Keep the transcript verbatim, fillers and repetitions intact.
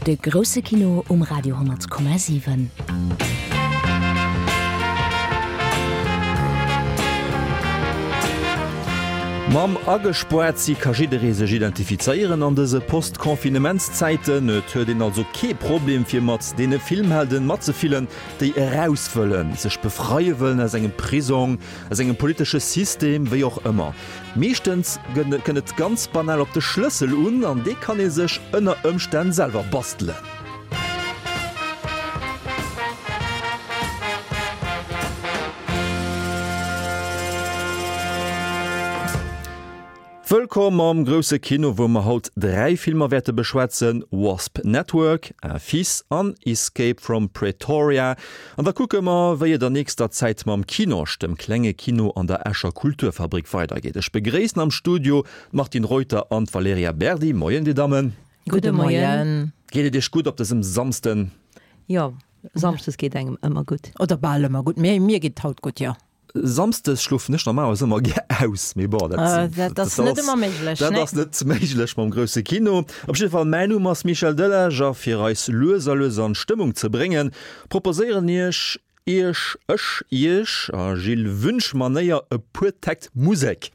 De grousse Kino um Radio honnert Komma siwen. Mam agespoart si ka jidderee sech identifizéieren an dëse Post-Confinementszäiten. Et huet een also kee Problem fir mat deene Filmhelden matzefillen, déi eraus wëllen, sech befreie wëllen aus engem Prisong, aus engem politesche System, wéi och ëmmer. Meeschtens kënnt et ganz banal op de Schlëssel un, an dee kann ee sech ënner Ëmstänn selwer bastelen. Wëllkomm am grousse Kino, wou mer haut dräi Filmer wäerte beschwätzen, Wasp Network, Un fils an Escape from Pretoria. An da kucke mer, wéi et an nächster Zäit mam Kinosch, dem klenge Kino an der Escher Kulturfabrik, weidergeet. Ech begréissen am Studio d'Martine Reuter an d'Valerija Berdi. Moien, Dir Dammen. Gudde Moien. Geet et Iech gutt op dësem Samsden? Jo, samschdes geet engem ëmmer gutt. Oder bal ëmmer gutt. Mir, mir geet haut gutt, jo. Samsdes schlofen ech normalerweis ëmmer gär aus, mee bon, dat, dat ass net ëmmer méiglech, dat ass net méiglech mam grousse Kino. Op jidde Fall, mäin Numm ass Michel Delage a fir eis lues a lues an d'Stëmmung ze bréngen, proposéieren iech iech ech iech a Gilles Wünsch Manéier e puer Täkt Musek.